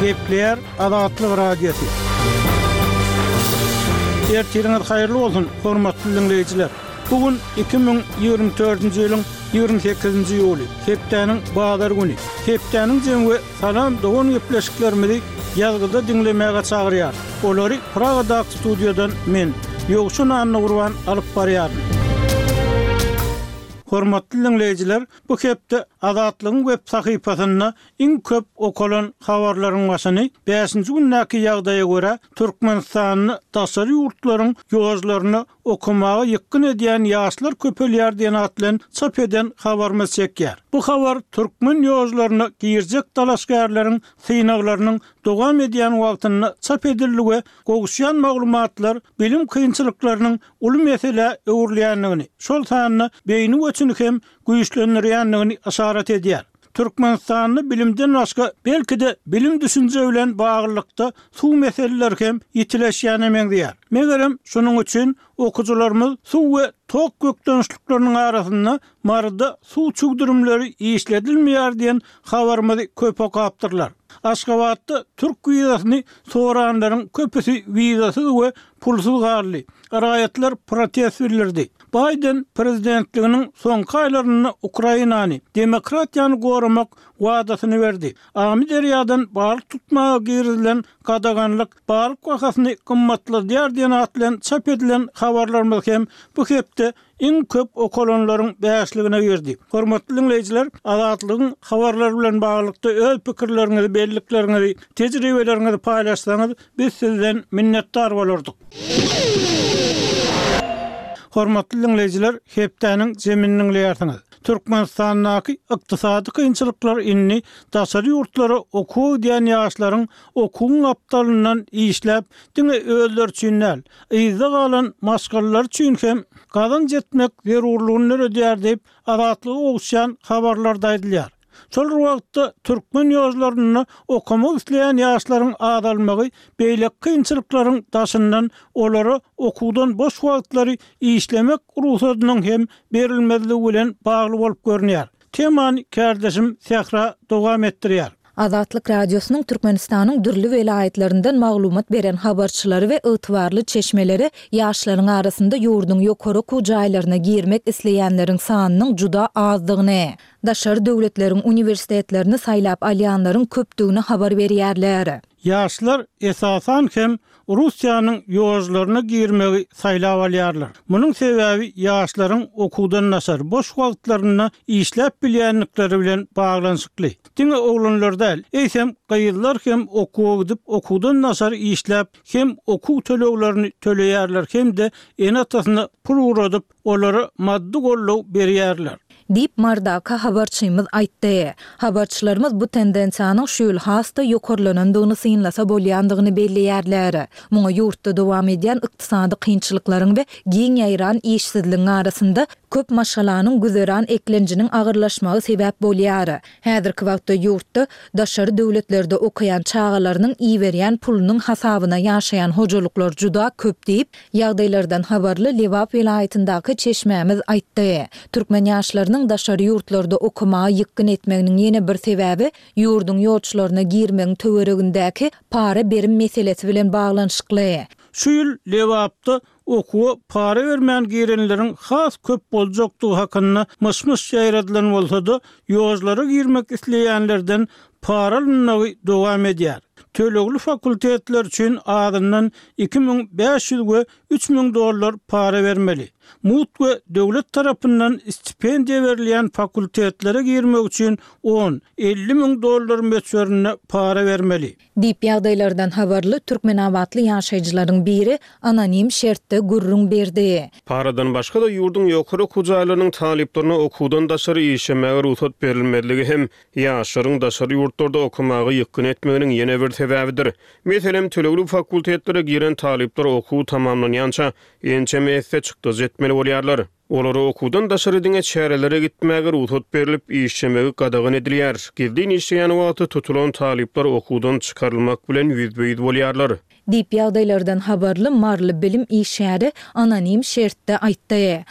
Gepleýär Azatlyk Radiosy. Ertiriňiz haýyrly bolsun, hormatly diňleýjiler! Bu gün 2024-nji ýylyň 28-nji iýuly, hepdäniň bazar güni. Hepdäniň jemi we Salam dogan gepleşiklerimizi ýazgyda diňlemäge çagyrýar. Olary Pragadaky studiýadan men, Ýowşan Annagurban alyp barýaryn. Hormatly diňleýjiler, bu hepde Azatlygyň web sahypasynda iň köp okalan habarlaryň başyny bäşinji gündäki ýagdaýa görä, Türkmenistanda daşary ýurtlaryň ýožlaryna okamaga ýykgyn edýän ýaşlar köpelýär diýen at bilen çap eden habarymyz çekýär. Bu habar türkmen ýožlaryna girjek dalaşgärleriň synaglarynyň dowam edýän wagtynda çap edildi we gowuşýan maglumatlar bilim kynçylyklarynyň uly meselä öwrülýändigini, şol sanda beýni göçüni hem güýçlendirýändigini yşarat edýär. Türkmenistanda bilimden başga, belki-de bilim-düşünje bilen baglylykda suw meseleleri hem ýitileşýäne meňzeýär. Megerem, şunuň üçin okyjylarymyz suw we tok bökdençlikleriniň arasynda Maryda suw çüwdürimleri işledilmeýär diýen habarymyzy köp okapdyrlar. Aşgabatda türk wizasyny soranlaryň köpüsi wizasyz we pulsuz galdy. Raýatlar protest bildirdi. Baýden prezidentliginiň soňky aýlarynda Ukrainany, demokratiýany goramak wadasyny berdi. Amyderýadan balyk tutmaga girizilen gadaganlyk balyk bahasyny gymmatladýar diýen at bilen çap edilen habarlarymyz hem bu hepde iň köp okalanlaryň bäşligine girdi. Hormatly diňleýjiler, Azatlygyň habarlary bilen baglylykda öz pikirleriňizi, bellikleriňizi, tejribeleriňizi paýlaşsaňyz, biz sizden minnetdar bolardyk. Hormatly diňleýjiler, hepdäniň jemini diňleýärsiňiz. Türkmenistandaky ykdysady kynçylyklar indi daşary ýurtlara okuwa gidýän ýaşlaryň okuwyň gapdalyndan işläp, diňe özleri üçin däl, yzda galan maşgalalary üçin hem gazanç etmek zerurlygyny döredýär diýip, Azatlyga gowuşýan habarlarda aýdylýar. Şol bir wagtda, türkmen ýožlarynda okamak isleýän ýaşlaryň azalmagy beýleki kynçylyklaryň daşyndan olara okuwdan boş wagtlary işlemek rugsadynyň hem berilmezligi bilen bagly bolup görünýär. Temany kärdeşim Sähra dowam etdirýär. Azatlyk Radiosynyň Türkmenistanyň dürli welaýatlaryndan maglumat beren habarçylary we ygtybarly çeşmeleri ýaşlaryň arasynda ýurduň ýokary okuw jaýlaryna girmek isleýänleriň sanynyň juda azdygyny, daşary döwletleriň uniwersitetlerini saýlap alýanlaryň köpdügini habar berýärler. Ýaşlar, esasan hem, Russiýanyň ýožlaryna girmegi saýlap alýarlar. Munuň sebäbi ýaşlaryň okuwdan daşary boş wagtlarynda işläp bilýändikleri bilen baglanyşykly. Diňe oglanlar däl, eýsem, gyzlar hem okuwa gidip, okuwdan daşary işläp, hem okuw töleglerini töleýärler hem-de ene-atasyna pul ugradyp, olara maddy goldaw berýärler. Diýip, Marydaky habarçymyz aýtdy. Habarçylarymyz bu tendensiýanyň şu ýyl has-da ýokarlanandygyny synlasa bolýandygyny belleýärler. Muňa ýurtda dowam edýän ykdysady kynçylyklaryň we giň ýaýran işsizligiň arasynda köp maşgalanyň güzeran eklenjiniň agyrlaşmagy sebäp bolýar. Häzirki wagtda ýurtda daşary döwletlerde okaýan çagalarynyň iberýän pulunyň hasabyna ýaşaýan hojalyklar juda köp diýip, ýagdaýlardan habarly Lebap welaýatyndaky çeşmämiz aýtdy. Türkmen ýaşlarynyň daşary ýurtlarda okamaga ýykgyn etmeginiň ýene bir sebäbi ýurduň ýolçularyna girmegiň töweregindäki para-berim meselesi bilen baglanyşykly. Şu ýyl Lebapda okuwa para bermän girenleriň has köp boljakdygy hakynda myş-myş ýaýradylan bolsa-da, ýožlara girmek isleýänlerden para alynmagy dowam edýär. Tölegli fakultetler üçin azyndan 2500 we 3000 dollar para bermeli. Mugt we döwlet tarapyndan stipendiýa berilýän fakultetlere girmek üçin on, 50 müň dollar möçberinde para bermeli. Diýip, ýagdaýlardan habarly türkmenabatly ýaşaýjylaryň biri anonim şertde gürrüň berdi. Paradan başga-da, ýurduň ýokary okuw jaýlarynyň talyplaryna okuwdan daşary işlemäge rugsat berilmezligi hem ýaşlaryň daşary ýurtlarda okamaga ýykgyn etmeginiň ýene bir sebäbidir. Meselem, tölegli fakultetlere giren talyplar okuw tamamlanýança ençeme esse çykdajy etmeli bolýarlar. Olara okuwdan daşary diňe çärelere gitmäge rugsat berlip, işlemegi gadagan edilýär. Gizlin işleýän wagty tutulan talyplar okuwdan çykarylmak bilen ýüzbe-ýüz bolýarlar. Diýip, ýagdaýlardan habarly maryly bilim işgäri anonim şertde aýtdy.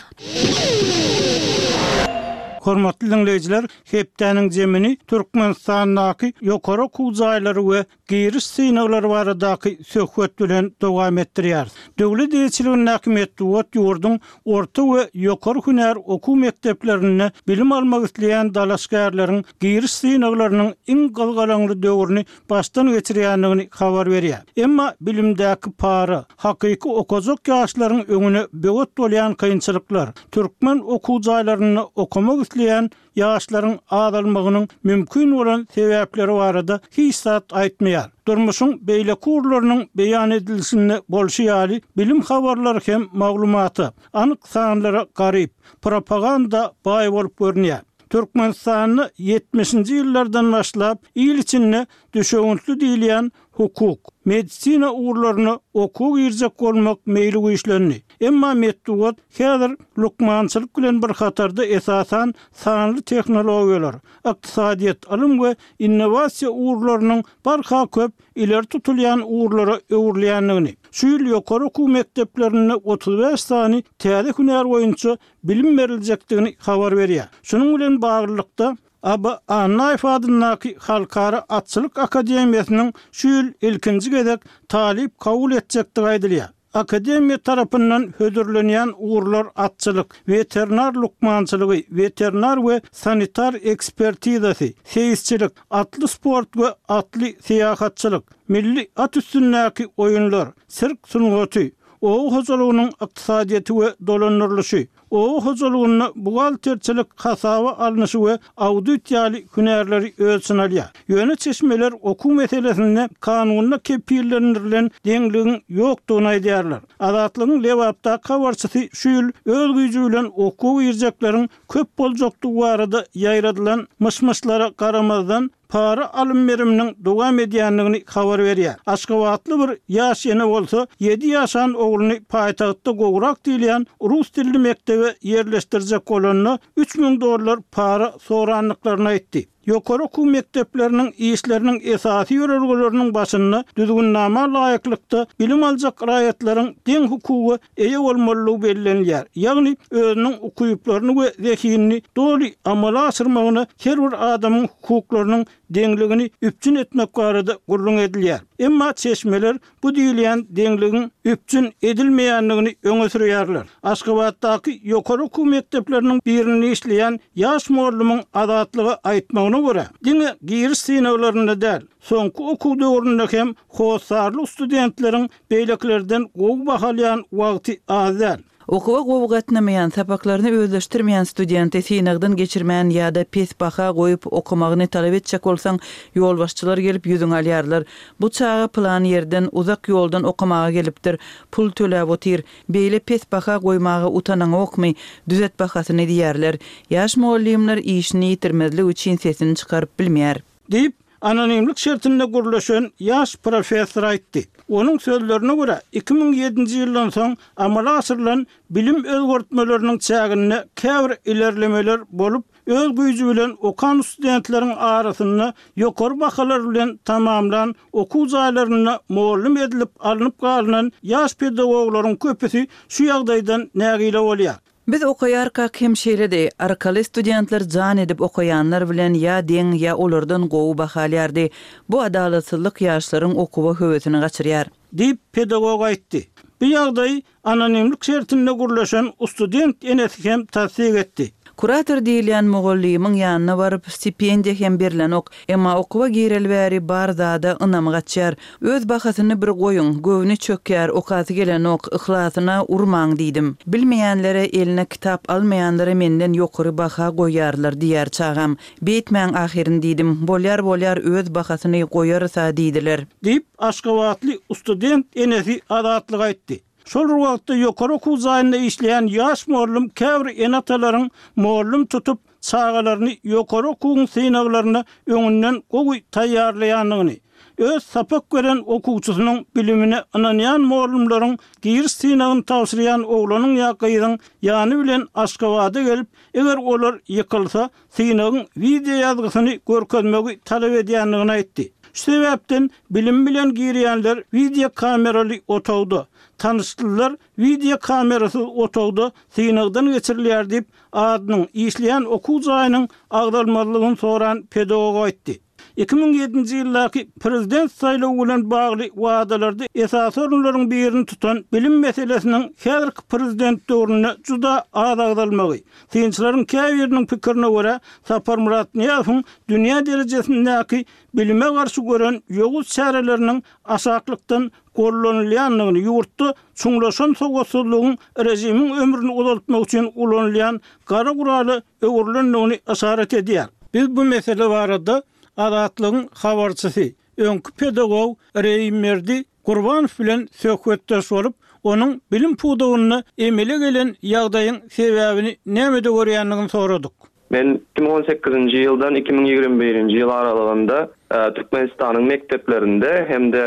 Hormatly diňleýjiler, hepdäniň jemini Türkmenistandaky ýokary okuw jaýlary we giriş synaglary baradaky söhbet bilen dowam etdirýäris. Döwlet eýeçiligindäki metbugat ýurduň orta we ýokary hünär okuw mekdeplerinde bilim almak isleýän dalaşgärleriň giriş synaglarynyň iň gyzgalaňly döwrüni başdan geçirýändigini habar berýär. Emma bilimdäki para, hakyky okajak ýaşlaryň öňüne böwet bolýan kynçylyklar, türkmen okuw jaýlarynda okamak isleýän ýaşlaryň azalmagynyň mümkin bolan sebäpleri barada hiç zat aýtmaýar. Durmuşyň beýleki ugurlarynyň beýan edilişinde bolşy ýaly, bilim habarlary hem maglumata, anyk sanlara garyp, propaganda baý bolup görünýär. Türkmenistanda ýetmişinji ýyllardan başlap il içinde düşewüntli diýilýän hukuk, medisina ugurlaryna okuwa girjek bolmak meýli güýçlendi. Emma metbugat häzir lukmançylyk bilen bir hatarda esasan sanly tehnologiýalar, ykdysadyýet, ylym we innowasiýa ugurlarynyň barha köp ileri tutulýan ugurlara öwrülýändigini, şu ýyl ýokary okuw mekdeplerinde 35 sany täze hünär boýunça bilim beriljekdigini habar berýär. Şunuň bilen baglylykda, Aba Annaýew adyndaky Halkara atçylyk akademiýasynyň şu ýyl ilkinji gezek talyp kabul etjekdigi aýdylýar. Akademiýa tarapyndan hödürlenýän ugurlar atçylyk, weterinar lukmançylygy, weterinar we sanitar ekspertizasy, seýisçilik, atly sport we atly syýahatçylyk, milli at üstündäki oýunlar, sirk sungaty, oba hojalygynyň ykdysadyýeti we dolandyrylyşy, oba hojalygynda buhgalterçilik hasaba alnyşy we audit ýaly hünärleri öz içine alýar. Ýöne çeşmeler okuw meselesinde kanunda kepillendirilen deňligiň ýokdugyny aýdýarlar. Azatlygyň Lebapdaky habarçysy şu ýyl öz güýji bilen okuwa girjekleriň köp boljakdygy barada ýaýradylan myş-myşlara garamazdan, para alym-beriminiň dowam edýändigini habar berýär. Aşgabatly bir ýaş ene bolsa, ýedi ýaşan ogluny paýtagtda gowrak diýilýän rus dilli mekdebe ýerleşdirjek bolanda, 3000 dollar para sorandyklaryny aýtdy. Ýokary okuw mekdepleriniň işleriniň esasy ýörelgeleriniň başynda düzgünnama laýyklykda bilim aljak raýatlaryň deň hukuga eýe bolmalydygy bellenilýär, ýagny özüniň ukyplaryny we zehinini doly amala aşyrmagyna her bir adamyň hukuklarynyň deňligini üpjün etmek barada gürrüň edilýär. Emma çeşmeler bu diýilýän deňligiň üpjün edilmeýändigini öňe sürýärler. Aşgabatdaky ýokary okuw mekdepleriniň birinde işleýän ýaş mugallymyň Azatlyga aýtmagyna görä, diňe giriş synaglarynda däl, soňky okuw döwründe hem hossarly studentleriň Beýlekilerden gowy baha alýan wagty az däl. Okuwa gowy gatnamaýan, sapaklaryny özleşdirmeýän studenti synagdan geçirmän ýa-da pes baha goýup okamagyny talap etjek bolsaň, ýolbaşçylar gelip ýüzüňi alýarlar. Bu çaga pylan ýerden, uzak ýoldan okamaga gelipdir, pul töläp otyr. Beýle pes baha goýmaga utanaňokmy, düzet bahasyny diýýärler. Ýaş mugallymlar işini ýitirmezlik üçin sesini çykaryp bilmeýär. Diýip, anonimlik şertinde gürleşen ýaş professor aýtdy. Onuň sözlerine görä, 2007-nji ýyldan soň amala aşyrylan bilim özgertmeleriniň çäginde käbir ilerlemeler bolup, öz güýji bilen okan studentleriň arasynda ýokary bahalar bilen tamamlan okuw jaýlarynda mugallym edilip alnyp galynan ýaş pedagoglaryň köpüsi şu ýagdaýdan nägile bolýar. Biz okaýarkak hem şeýledi. Arkaly studentler jan edip okaýanlar bilen ýa deň, ýa olardan gowy baha alýardy. Bu adalatsyzlyk ýaşlaryň okuwa höwesini gaçyrýar. Diýip, pedagog aýtdy. Bu ýagdaýy anonimlik şertinde gürleşen ustudent enesi hem tassyk etdi. Kurator diýilýän mugallymyň ýanyna baryp, stipendiýa hem berlenok. Emma okuwa gireli bäri bar zada ynamy gaçýar. Öz bahasyny bir goýuň, göwni çökýär, okasy gelenok, yhlasyna urmaň diýdim. Bilmeýänlere, eline kitap almaýanlara menden ýokary baha goýýarlar diýýär çagam. Beýtmäň ahyryn diýdim. Bolýar bolýar öz bahasyny goýarys-a diýdiler. Diýip, aşgabatly student enesi Azatlyga aýtdy. Şol bir wagtda ýokary okuw jaýynda işleýän ýaş mugallym käbir ene-atalaryň mugallym tutup, çagalaryny ýokary okuwyň synaglaryna öňünden gowy taýýarlaýandygyny, öz sapak beren okuwçysynyň bilimine ynanýan mugallymlaryň giriş synagyny tabşyrýan oglanyň ýa gyzyň ýany bilen Aşgabada gelip, eger olar ýykylsa, synagyň wideoýazgysyny görkezmegi talap edýändigini aýtdy. Şu sebäpden bilim bilen girýänler wideokameraly otagda, tanyşlylar wideokamerasyz otagda synagdan geçirilýär diýip, adynyň, işleýän okuw jaýynyň agzalmazlygyny soran pedagog aýtdy. 2007-nji ýyldaky prezident saýlawy bilen bagly wadalarda esasy orunlaryň birini tutan bilim meselesiniň häzirki prezident döwründe juda az agzalmagy, synçylaryň käbiriniň pikirine görä, Saparmyrat Nyýazowyň dünýä derejesindäki bilime garşy gören ýowuz çäreleriniň aşaklykdan gollanylýandygyny, ýurtda çuňlaşan sowatsyzlygyň režimiň ömrüni uzaltmak üçin ulanylýan gara gurala öwrülendigini yşarat edýär. Biz bu mesele barada Azatlygyň habarçysy, öňki pedagog Reýimberdi Gurbanow bilen söhbetdeş bolup, onuň bilim pudagynda emele gelen ýagdaýyň sebäbini nämede görýändigini soradyk. Men 2018-nji ýyldan 2021-nji ýyl aralygynda Türkmenistanyň mekdeplerinde hem-de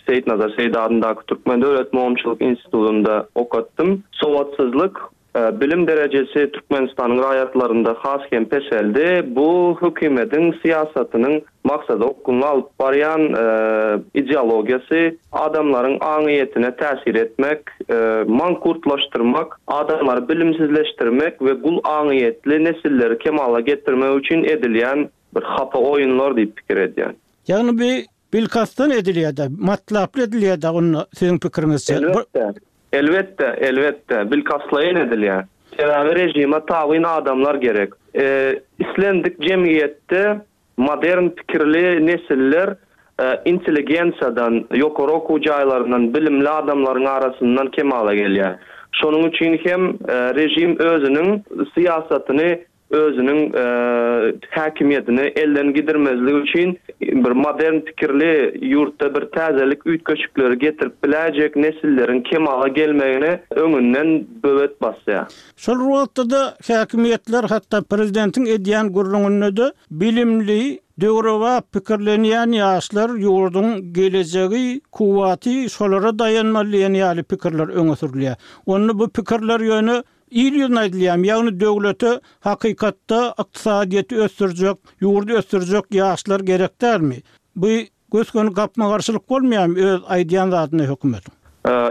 Seýitnazar Seýdi adyndaky Türkmen döwlet mugallymçylyk institutynda okatdym. Sowatsyzlyk Bilim derejesi Türkmenistanyň raýatlarynda has hem peseldi. Bu hökümediň syýasatynyň maksada okgunly alyp barýan ideologiýasy, adamlaryň aňyýetine täsir etmek, mankurtlaşdyrmak, adamlary bilimsizleşdirmek we gul aňyýetli nesilleri kemala getirmek üçin edilýän bir hapa oýunlar diýip pikir edýän. Ýagny bu Bilkastdan edilýär-dä, matlaply edilýär-dä onda siziň pikiriňizçe? Elbetde, elbetde, elbetde, bilkastlaýyn edilýär. Sebäbi režime tabyn adamlar gerek. Islendik jemgyýetde modern pikirli nesiller intelligensiýadan, ýokary okuw jaýlaryndan, bilimli adamlaryň arasyndan kemala gelýär. Şonuň üçin hem režim özüniň syýasatyny özüniň häkimiýetini elden gidirmezlik üçin bir modern pikirli ýurtda bir täzelik üýtgeşikleri getirip biläýjek nesilleriň kemala gelmegine öňünden böwet basýar. Şol bir wagtda-da häkimiýetler hatda prezidentiň edýän gürrüňinde-de bilimli, döwrebap pikirlenýän ýaşlar ýurduň gelejegi, kuwwaty şolara daýanmaly diýen ýaly pikirler öňe sürülýär. Onda bu pikirler ýöne Il ýüzüne aýdylýarmy, ýagny döwlete hakykatda ykdysadyýeti ösdürjek, ýurdy ösdürjek ýaşlar gerek dälmi? Bu gös-göni gapma-garşylyk bolmaýarmy öz aýdýan zadyna hökümetiň?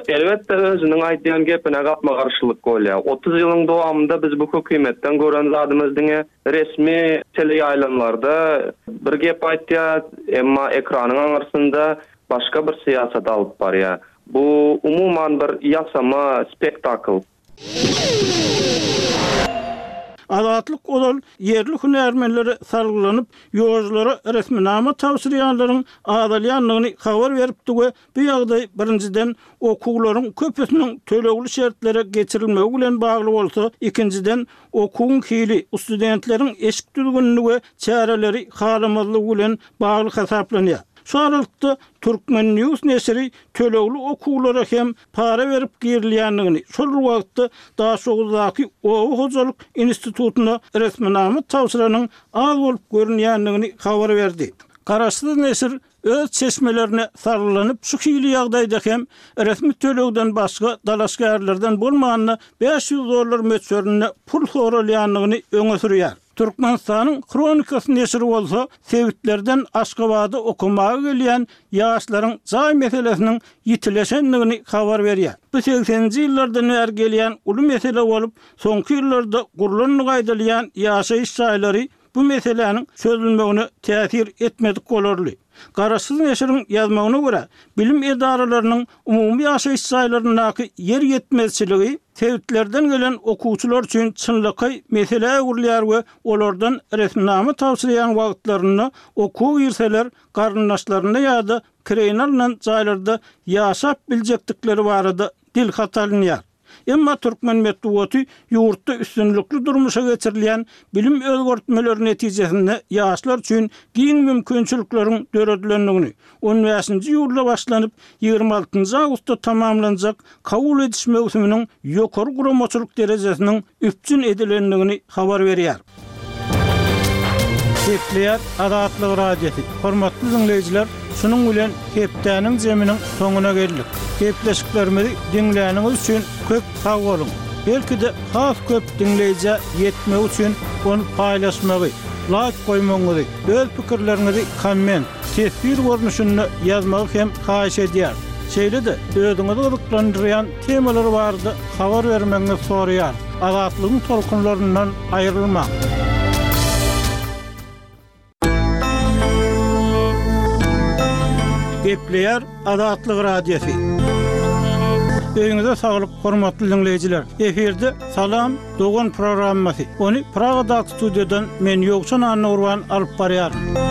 Elbetde özüniň aýdýan gepine gapma-garşylyk bolýar. 30 ýylyň dowamynda biz bu hökümetden gören zadymyz diňe resmi teleýaýlymlarda bir gep aýtýar, emma ekranyň aňyrsynda başga bir syýasat alyp barýar. Bu umuman bir ýasama spektakl. Azatlyk ozal ýerli hünärmenlere salgylanyp, ýolculara resminama tabşyrýanlaryň azalýandygyny habar beripdi we bu ýagdaý, birinjiden, okuwlaryň köpüsiniň tölegli şertlere geçirilmegi bilen bagly bolsa, ikinjiden, okuwyň hili, studentleriň eşik düzgünini we çäreleri halamazlygy bilen bagly hasaplanýar. Şu aralykda, Turkmen. News neşiri tölegli okuwlara hem para berip girilýändigini, şol bir wagtda Daşoguzdaky oba hojalyk institutyna resminama tabşyranyň az bolup görünýändigini habar berdi. Garaşsyz neşir öz çeşmelerine salgylanyp, şu hili ýagdaýda hem resmi tölegden başga dalaşgärlerden bolmanda 500 dollar möçberinde pul soralýandygyny öňe sürýär. Türkmenistanyň Hronikasy neşiri bolsa sebitlerden Aşgabada okamaga gelýän ýaşlaryň jaý meselesiniň ýitileşendigini habar berýär. Bu segseninji ýyllardan bäri gelýän uly mesele bolup, soňky ýyllarda gurlandygy aýdylýan ýaşaýyş jaýlary bu meseläniň çözülmegine täsir etmedik bolarly. Garaşsyz neşiriň ýazmagyna görä, bilim edaralarynyň umumy ýaşaýyş jaýlaryndaky ýer ýetmezçiligi sebitlerden gelen okuwçylar üçin çynlakaý meselä öwrülýär we olardan resminama tabşyrýan wagtlarynda okuwa girseler garyndaşlarynda ýa-da kireýine alnan jaýlarda ýaşap biljekdikleri barada dilhat alynýar. Emma türkmen metbugaty ýurtda üstünlikli durmuşa geçirilýän bilim özgertmeleri netijesinde ýaşlar üçin giň mümkinçilikleriň döredilendigini, on bäşinji iýulda başlanyp, ýigrimi altynjy awgustda tamamlanjak kabul ediş möwsüminiň ýokary guramaçylyk derejesiniň üpjün edilendigini habar berýär. Gepleýär Azatlyk Radiosy. Hormatly diňleýjiler, şunuň bilen hepdäniň jeminiň soňuna geldik. Gepleşiklerimizi diňläniňiz üçin köp sag boluň! Belki-de has köp diňleýjä ýetmegi üçin ony paýlaşmagy, laýk goýmagyňyzy, öz pikirleriňizi komment. teswir görnüşinde ýazmagy hem haýyş edýäris. Şeýle-de, özüňizi gyzyklandyrýan temalar barada habar bermegiňizi soraýarys. Azatlygyň tolkunlaryndan aýrylmaň! Gepleýär Azatlyk Radiosy. Öýüňize saglyk, hormatly diňleýjiler! Efirde Salam, dogan programmasy. Ony Pragadaky studiýadan men Ýowşan Annagurban alyp barýaryn.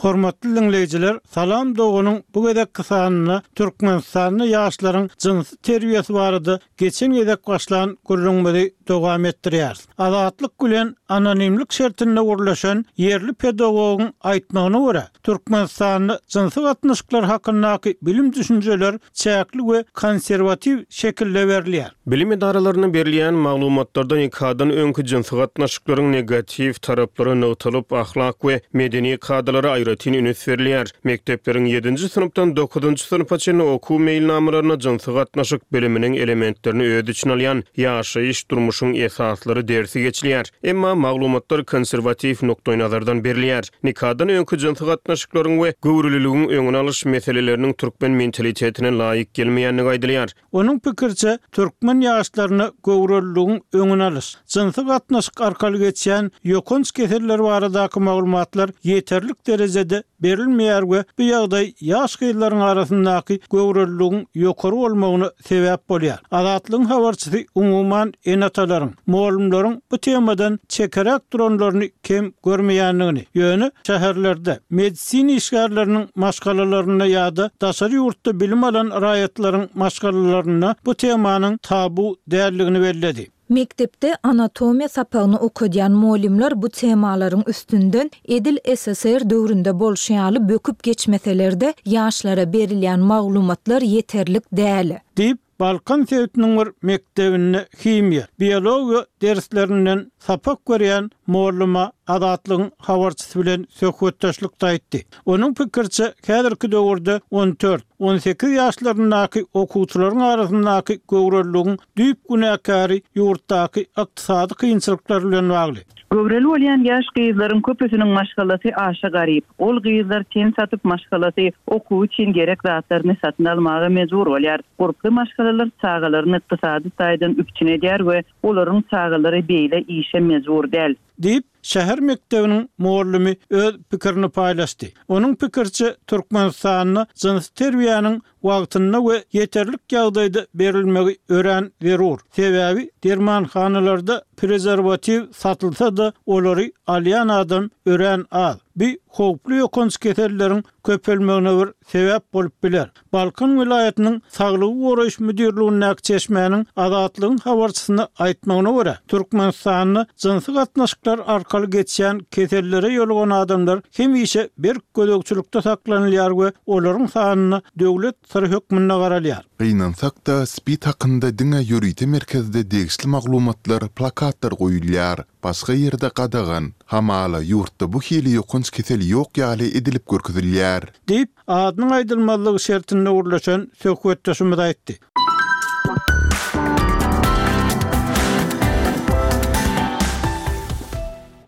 Hormatly diňleýjiler, Salam doganyň bu gezekki sanynda Türkmenistanda ýaşlaryň jynsy terbiýesi barada geçen gezek başlan gürrüňimizi dowam etdirýäris. Azatlyk bilen anonimlik şertinde gürleşen ýerli pedagogyň aýtmagyna görä, Türkmenistanda jynsy gatnaşyklar hakyndaky bilim-düşünjeler çäkli we konserwatiw şekilde berilýär. Bilim edaralarynda berilýän maglumatlarda nikadan öňki jynsy gatnaşyklaryň negatiw taraplary nygtalyp, ahlak we medeni kadalara aýratyn üns berilýär. Mekdepleriň ýedinji synpdan dokuzynjy synpa çenli okuw meýilnamalarynda jynsy gatnaşyk biliminiň elementlerini öz içine alýan Ýaşaýyş durmuşyň esaslary dersi geçilýär. Emma maglumatlar konserwatiw nukdaýnazardan berilýär. Nikadan öňki jynsy gatnaşyklaryň we göwreliligiň öňüni alyş meseleleriniň türkmen mentalitetine laýyk gelmeýändigi aýdylýar. Onuň pikiriçe, türkmen ýaşlaryna göwreliligiň öňüni alyş, jynsy gatnaşyk arkaly geçýän ýokanç keseller baradaky maglumatlar ýeterlik derejede berilmeýär we bu ýagdaý ýaş gyzlaryň arasyndaky göwreliligiň ýokary bolmagyna sebäp bolýar. Azatlygyň habarçysy umuman ene-atalaryň, mugallymlaryň bu temadan çekeräk duranlaryny kem görmeýändigini, ýöne şäherlerde medisina işgärleriniň maşgalalarynda ýa-da daşary ýurtda bilim alan raýatlaryň maşgalalarynda bu temanyň tabu däldigini belledi. Mekdepde anatomiýa sapagyny okadýan mugallymlar bu temalaryň üstünden edil ssr döwründe bolşy ýaly böküp geçmeseler-de, ýaşlara berilýän maglumatlar ýeterlik däl. Diýip, Balkan sebitiniň bir mekdebinde himiýa, biologiýa derslerinden sapak berýän molluma Azatlygyň habarçysy bilen söhbetdeşlikde aýtdy. Onuň pikiriçe, häzirki döwürde on dört, on sekiz ýaşlaryndaky okuwçylaryň arasyndaky göwreliligiň düýp günäkäri ýurtdaky ykdysady kynçylyklar bilen bagly. Göwreli bolýan ýaş gyzlaryň köpüsiniň maşgalasy aşa garyp. Ol gyzlar ten satyp maşgalasy okuwy üçin gerek zatlaryny satyn almaga mejbur bolýar. Gurply maşgalalar çagalaryny ykdysady taýdan üpjün edýär we olaryň çagalary beýle işe mejbur däl. Diýip, şäher mekdebiniň mugallymy öz pikirini paýlaşdy. Onuň pikiriçe, Türkmenistanda jynsy terbiýäniň wagtynda we ýeterlik ýagdaýda berilmegi örän zerur. Sebäbi dermanhanalarda prezerwatiw satylsa-da, olary alýan adam örän az. Bu howply ýokanç keselleriň köpelmegine bir sebäp bolup biler. Balkan welaýatynyň Saglygy goraýyş müdirligindäki çeşmäniň Azatlygyň habarçysyna aýtmagyna görä, Türkmenistanda jynsy gatnaşyklar arkaly geçýän kesellere ýolugan adamlar hemişe berk gözegçilikde saklanylýar we olaryň sanyna döwlet syry hökmünde garalýar. Gynansak-da, SPID hakynda diňe ýörite merkezde degişli maglumatlar, plakatlar goýulýar. Başga ýerde gadagan. Hamala, ýurtda bu hili ýokanç kesel ýok ýaly edilip görkezilýär. Diýip, adynyň aýdylmazlygy şertinde gürleşen söhbetdeşimiz aýtdy.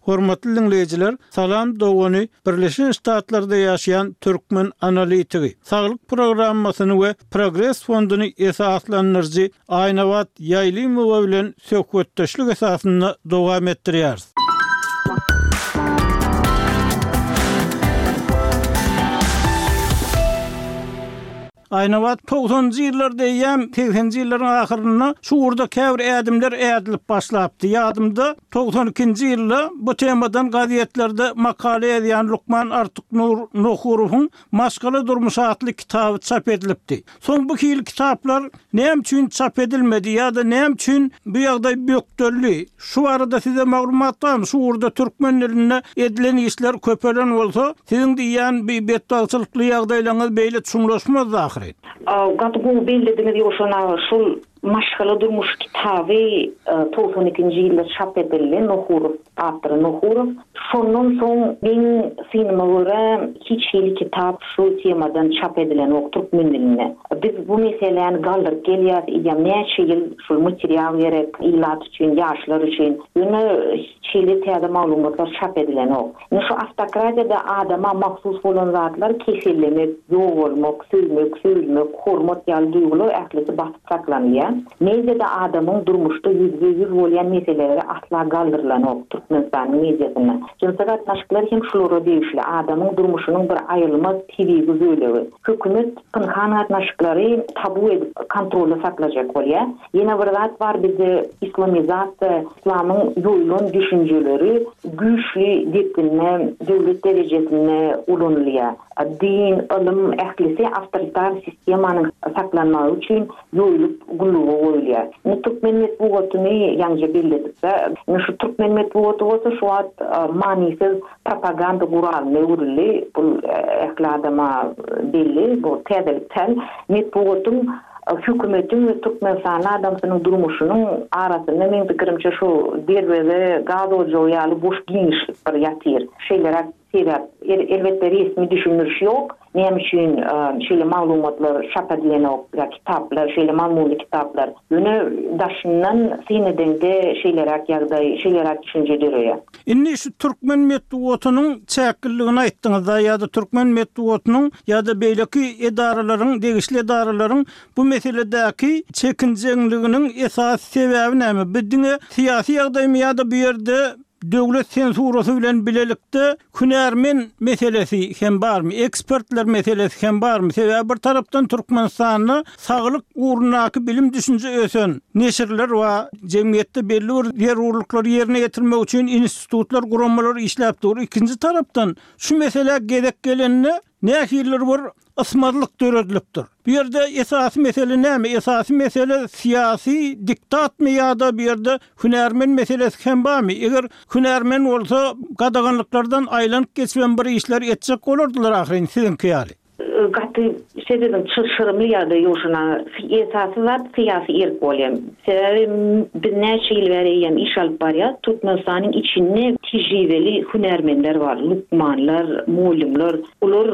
Hormatly diňleýjiler, Salam dogany Birleşen Ştatlarda ýaşaýan türkmen analitigi, Saglyk programmasyny we Progres fonduny esaslandyryjy Aýnabat Ýaýlymowa bilen söhbetdeşlik esasynda dowam etdirýäris. Aýnabat togsanynjy ýyllarda eýýäm segseninji ýyllaryň ahyrynda şu ugurda käbir ädimler ädilip başlapdy. Ýadymda, 92-nji ýylda bu temadan gazetlerde makala ýazýan lukman Artyknur Nohurowyň Maşgala durmuşy atly kitaby çap edilipdi. Soň bu hili kitaplar näme üçin çap edilmedi ýa-da näme üçin bu ýagdaý bökdeldi? Şu barada size maglumat barmy? Şu ugurda türkmen dilinde edilen işler köpelen bolsa, siziň diýýän bi betbagtçylykly ýagdaýlaryňyz beýle çuňlaşmazdy ahyryn. Gaty gowy bellediňiz Ýowşan aga, şul. Maşgala durmuşy kitaby 92-nji ýylda çap edildi, Nohurow, awtory Nohurow. Şondan soň meň synyma görä hiç hili kitap şu temadan çap edilenok türkmen dilinde. Biz bu meseläni galdyryp gelýäs eýýäm näçe ýyl şul material gerek ilat üçin, ýaşlar üçin. Ýöne hiç hili täze maglumatlar çap edilenok. Indi şu awtokratiýada adama mahsus bolan zatlar kesellemek, ýogalmak, söýmek, söýülmek, hormat ýaly duýgular ählisi basyp saklanylýar. Mediada adamyň durmuşda ýüzbe-ýüz bolýan meseleleri asla galdyrylanok Türkmenistanyň mediasynda. Jynsy gatnaşyklar hem şulara degişli, adamyň durmuşynyň bir aýrylmaz tebigy bölegi. Hökümet pynhan gatnaşyklary tabu edip kontrolda saklajak bolýar. Ýene bir zat bar bizde islamizasiýa, islamyň ýoýulan düşünjeleri güýçli depginde döwlet derejesinde ulanylýar. Din, ylym ählisi awtoritar sistemanyň saklanmagy üçin ýoýulyp gulluga goýulýar. Indi türkmen metbugatyny ýaňja belledik-de. Indi şu türkmen metbugaty bolsa şu wagt manysyz propaganda guralyna öwrüldi. Bu ähli adama belli, bu täzelik däl. Metbugatyň hökümetiň we türkmenistanly adamsynyň durmuşynyň arasynda meň pikirimçe şu derweze, gaz ojagy ýaly boş giňişlik bir ýatyr. Şeýleräk sebäp. Elbetde resmi düşündiriş ýok. Näme üçin şeýle maglumatlar çap edilenok ýa kitaplar, şeýle mazmunly kitaplar. Ýöne daşyndan syn edeňde şeýleräk ýagdaý, şeýleräk düşünje döreýär. Indi şu türkmen metbugatynyň çäkliligini aýtdyňyzda ýa-da türkmen metbugatynyň ýa-da beýleki edaralaryň, degişli edaralaryň bu meseledäki çekinjeňliginiň esasy sebäbi näme? Bu diňe syýasy ýagdaýmy ýa-da bu ýerde döwlet sensurasy bilen bilelikde hünärmen meselesi hem barmy, ekspertler meselesi hem barmy? Sebäbi bir tarapdan Türkmenistanda saglyk ugrundaky bilim-düşünje ösen neşirler bar, jemgyýetde belli bir zerurlyklary ýerine ýetirmek üçin institutlar, guramalar işläp dur. Ikinji tarapdan şu meselä gezek gelende nähilidir bir ysmazlyk döredilipdir. Bu ýerde esasy mesele näme? Esasy mesele syýasy diktatmy ýa-da bu ýerde hünärmen meselesi hem barmy? Eger hünärmen bolsa, gadaganlyklardan aýlanyp geçibem bir işler etjek bolardylar ahyryn siziňki ýaly. Gaty sebäbiň çylşyrymly ýagdaý ýok şuna. Esasy zat syýasy erk bolýar. Sebäbi biz näçe ýyl bäri eýýäm iş alyp barýas. Türkmenistanyň içinde tejribeli hünärmenler bar, lukmanlar, mugallymlar. Olar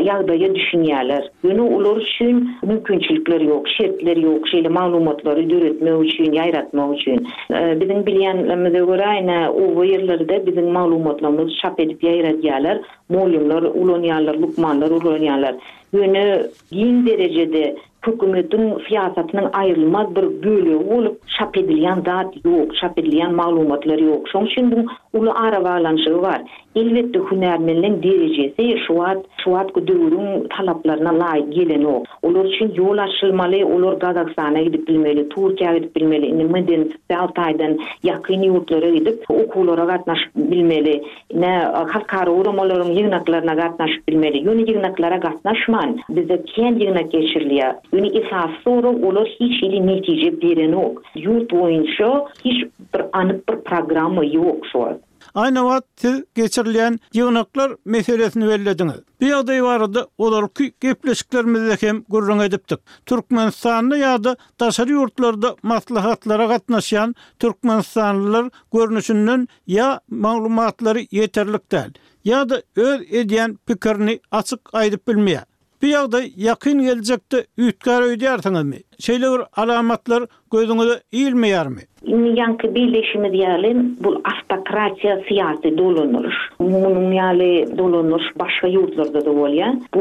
ýagdaýa düşünýärler. Ýöne olar üçin mümkinçilikler ýok, şertler ýok şeýle maglumatlary döretmek üçin, ýaýratmak üçin. Biziň bilýänlerimize görä, ine, oba ýerlerde biziň maglumatlarymyzy çap edip ýaýradýarlar. Mugallymlar ulanýarlar, lukmanlar ulanýarlar. Ýöne giň derejede hökümetiň syýasatynyň aýrylmaz bir bölegi bolup çap edilýän zat ýok, çap edilýän maglumatlar ýok. Şonuň üçin buň uly arabaglanyşygy bar. Elbetde hünärmenleň derejesi şu wagt şu wagtky döwrüň talaplaryna laýyk gelenok. Olar üçin ýol açylmaly, olar Gazagystana gidip bilmeli, Türkiýä gidip bilmeli, indi medeni sosial taýdan ýakyn ýurtlara gidip okuwlara gatnaşyp bilmeli. Ine, halkara guramalaryň ýygnaklaryna gatnaşyp bilmeli. Ýöne ýygnaklara gatnaşman, bizde kän ýygnak geçirilýär. Ýöne esasy sorag, olar hiç hili netije berenok. Ýurt boýunça hiç bir anyk bir programma ýok şu wagt. Aýnabat, siz geçirilýän ýygnaklar meselesini bellediňiz. Bu ýagdaý barada ozalky gepleşiklerimizde hem gürrüň edipdik. Türkmenistanda ýa-da daşary ýurtlarda maslahatlara gatnaşýan türkmenistanlylar görnüşinden ýa maglumatlary ýeterlik däl, ýa-da öz edýän pikirini açyk aýdyp bilmeýär. Bu ýagdaý ýakyn geljekde üýtgär öýdýärsiňizmi? Şeýle bir alamatlar gözüňize ilmeýärmi? Indi ýaňky belleýşimiz ýaly, bu awtokratiýa syýasy dolanyryş. Munuň ýaly dolanyryş başga ýurtlarda-da bolýar. Bu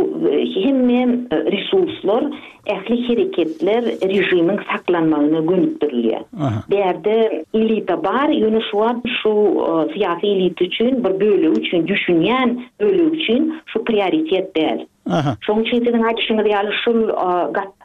hemme resurslar Ähli hereketler režimiň saklanmagyna gönükdirilýär. Bärde elita bar, ýöne şu wagt şu syýasy elita üçin, bir bölegi üçin, düşünýän bölegi üçin şu prioritet däl. Şonuň üçin siziň aýdyşyňyz ýaly şul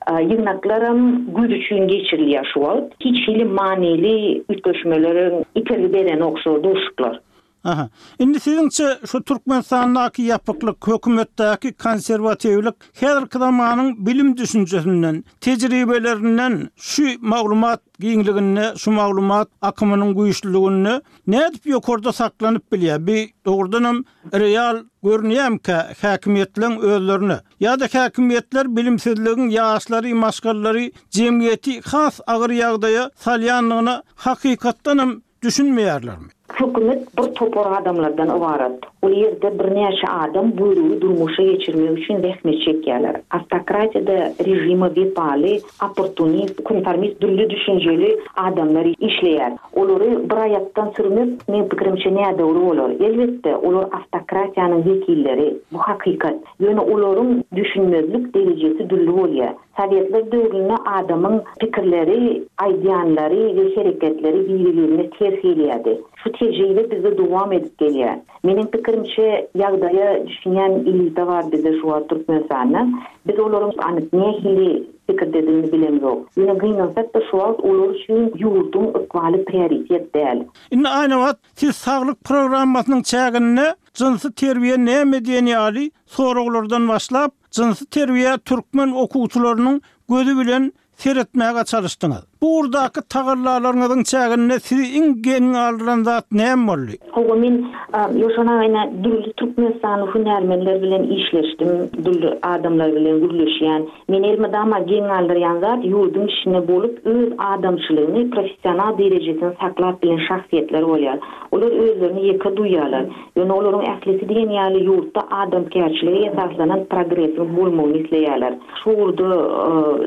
ýygnaklaram göz üçin geçirilýär şu wagt. Hiç hili manyly üýtgeşmelere itergi berenok şu duşuşyklar. Aha. Indi siziňçe şu Türkmenistandaky ýapyklyk, hökümetdäki konserwatiwlik häzirki zamanyň bilim düşünjesinden, tejribelerinden şu maglumat giňliginde, şu maglumat akymynyň güýçlüliginde nädip ýokarda saklanyp bilýär? Bi dogrudanam real görünýärmikä häkimiýetleň özlerine? Ýa-da häkimiýetler bilimsizligiň ýaşlary, maşgalalary, jemgyýeti has agyr ýagdaýa salýandygyna hakykatdanam düşünmeýärlermi? Hökümet bir topar adamlardan ybarat. Ol ýerde birnäçe adam buýrugy durmuşa geçirmek üçin zähmet çekýärler. Awtokratiýada režime wepaly, opportunist, konformist dürli düşünjeli adamlar işleýär. Olary bir aýakdan sürmek, meň pikirimçe, nädogry bolar. Elbetde, olar awtokratiýanyň wekilleri, bu hakykat. Ýöne olaryň düşünmezlik derejesi dürli bolýar. Sowetler döwründe adamyň pikirleri, aýdýanlary we hereketleri biri-birine ters gelýärdi. Şu tejribe bizde dowam edip gelýär. Meniň pikirimçe, ýagdaýa düşünýän elita bar bizde şu wagt Türkmenistanda. Biz olaryň anyk nähili pikirdedigini bilemzok. Ýöne gynansak-da şu wagt olar üçin ýurduň ykbaly prioritet däl. Indi Aýnabat, siz saglyk programmasynyň çäginde jynsy terbiýe näme diýen ýaly soraglardan başlap, jynsy terbiýä türkmen okuwçylarynyň gözi bilen seretmäge çalyşdyňyz. Bu ugurdaky tagallalaryňyzyň çäginde sizi iň geň galdyran zat näme boldy? Hawa, men Ýowşan aga ine dürli türkmenistanly hünärmenler bilen işleşdim, dürli adamlar bilen gürleşýän. Meni elmydama geň galdyrýan zat ýurduň içinde bolup öz adamçylygyny, professional derejesini saklap bilen şahsyýetler bolýar. Olar özlerini ýeke duýýarlar. Ýöne olaryň ählisi diýen ýaly ýurtda adamkärçilige esaslanan progresiň bolmagyny isleýärler. Şu ugurda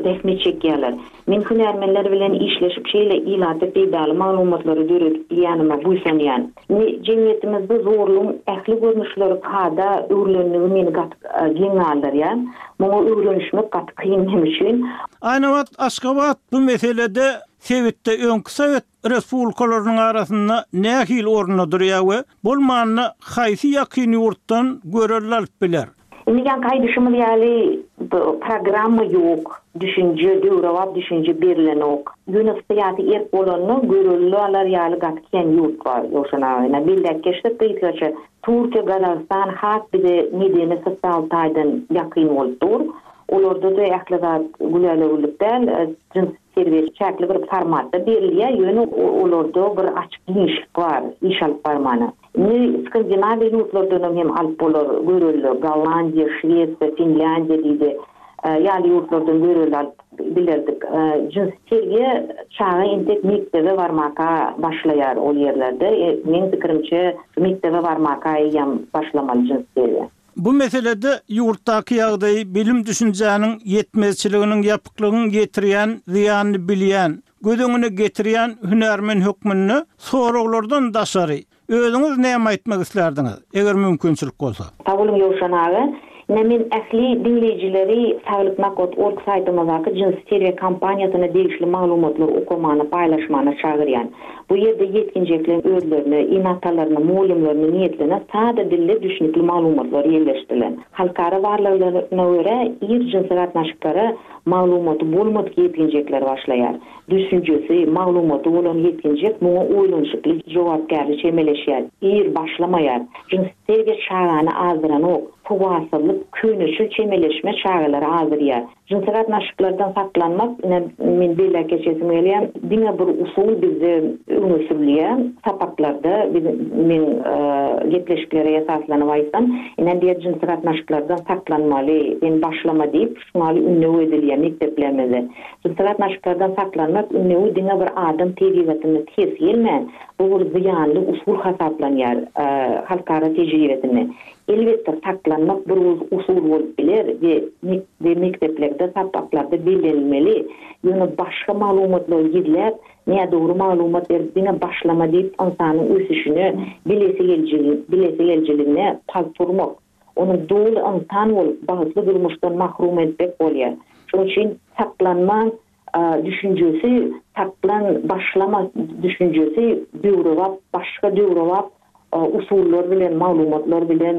zähmet çekýärler. Men hünärmenler bilen işleşip şeýle ilata peýdaly maglumatlary döredip bilýänime buýsanýan. Indi jemgyýetimizde zorlugyň ähli görnüşleri kada öwrülenligi meni gaty geň galdyrýar. Muňa öwrenişmek gaty kyn meň üçin. Aýnabat Aşgabat bu meselede sebitde öňki sowet respublikalarynyň arasynda nähili orunda durýar we bolmanda haýsy ýakyn ýurtdan görelde alyp biler? Indi ýaňky aýdyşymyz ýaly programma ýok, düşünje, döwrebap düşünje berilenok. Ýöne syýasy erk bolanda görelde alar ýaly gaty kän ýurt bar Ýowşan aga. Ine belläp geçsek gysgaça Türkiýe, Gazagystan has bize medeni sosial taýdan ýakyn bolup dur. Olarda-da ähli zat gülälewülik däl, jyns Terbiýe çäkli bir formatda berilýär, ýöne olarda bir açyk giňişlik bar iş alyp barmana. Indi Skandinawiýa ýurtlardanam hem alyp bolar görelde, Gollandiýa, Şwesiýa, Finlýandiýa diýdi, ýaly ýurtlardan görelde alyp bilerdik. Jynsy terbiýe çaga entek mekdebe barmaka başlaýar ol ýerlerde. Meň pikirimçe, mekdebe barmaka eýýäm başlamaly jynsy terbiýe. Bu meselede ýurtdaky ýagdaýy bilim-düşünjäniň ýetmezçiliginiň ýapyklygyň ýetirýän zyýanyny bilýän, göz öňüne getirýän hünärmen hökmünde soraglardan daşary, özüňiz näme aýtmak islärdiňiz, eger mümkinçilik bolsa? Sag boluň Ýowşan aga. Ine men ähli diňleýjileri Saglyk Nakot org saýtymyzdaky jynsy terbiýe kampaniýasyna degişli maglumatlary okamana, paýlaşmana çagyrýan. Bu ýerde ýetginjekleň özlerine, ene-atalaryna, mugallymlaryna niýetlenen sada dilde düşnükli maglumatlar ýerleşdirilen. Halkara barlaglaryna görä, ir jynsy gatnaşyklara maglumaty bolmadyk ýetginjekler başlaýar. Düşünjesi, maglumaty bolan ýetginjek muňa oýlanyşykly, jogapkärli çemeleşýär, ir başlamaýar. Jynsy terbiýe çagany azdyranok, sowatsyzlyk, köneçil çemeleşme çagalary azdyrýar. Jynsy gatnaşyklardan saklanmak, ine, men belläp geçesim gelýär, diňe bir usul bizde öňe sürülýär, sapaklarda, biz, meň gepleşiklere esaslanyp aýtsam, ine, diýýär, jynsy gatnaşyklardan saklanmaly, sen başlama diýip, şuňaly ündew edilýär mekdeplerimizde. Jynsy gatnaşyklardan saklanmak ündewi diňe bir adam tebigatyna ters gelmän, bu bir zyýanly usul hasaplanýar halkara tejribesinde. Elbetde, saklanmak bir usul bolup biler we we mekdeplerde sapaklarda bellenilmeli, ýöne başga maglumatlary gizläp, nädogry maglumat berip diňe başlama diýip ynsanyň ösüşine, bilesigelijiligine palta urmak, ony doly ynsan bolup bagtly durmuşdan mahrum etmek bolýar. Şonuň üçin saklanma düşünjesi saklan başlama düşünjesi döwrebap başga döwrebap usullar bilen maglumatlar bilen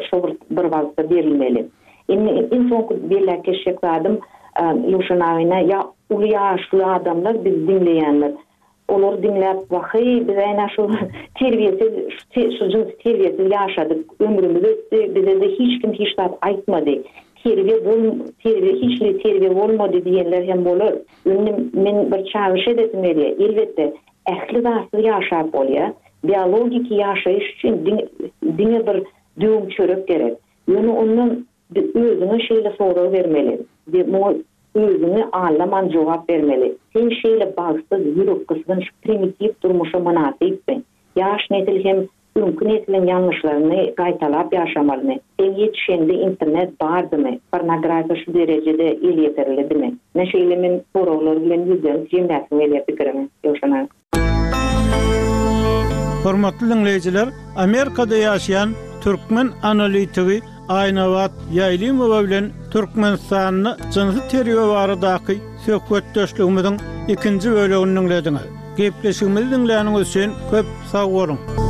şo bir bir wagtda berilmeli. Indi iň soňky belläp geçjek zadym Ýowşan aga ine ýa uly ýaşly adamlar bizi diňleýänler. Olary diňläp, Waheý, biz äýnä şu terbiýesiz, şu jynsy terbiýesiz ýaşadyk, ömrümiz ötdi, bize-de hiç kim hiç zat aýtmady. Terbiýe bol, terbiýe, hiç hili terbiýe bolmady diýenler hem bolar. Indi men bir çagyryş edesim gelýär. Elbetde, ähli zatsyz ýaşap bolýar. Biologiki ýaşaýyş üçin diňe, diňe bir döwüm çörek gerek. Ýöne ondan özüňe şeýle sorag bermeli we muňa özüňi aldaman jogap bermeli, Sen şeýle bagtsyz, ýürekgysgynç, primitiw durmuşa mynasypmy? Ýaş nesil hem öňki nesliň ýalňyşlaryny gaýtalap ýaşamalymy? Sen ýetişeňde internet bardymy? Pornografiýa şu derejede elýeterlidimi? Ine şeýle men soraglar bilen ýüzlenip jemläsim gelýär pikirimi, Ýowşan aga. Hormatly diňleýjiler, Amerikada ýaşaýan türkmen analitigi Aýnabat Ýaýlymowa bilen Türkmenistanda jynsy terbiýe baradaky söhbetdeşligimiziň ikinji bölegini diňlediňiz. Gepleşigimizi diňläniňiz üçin köp sag boluň!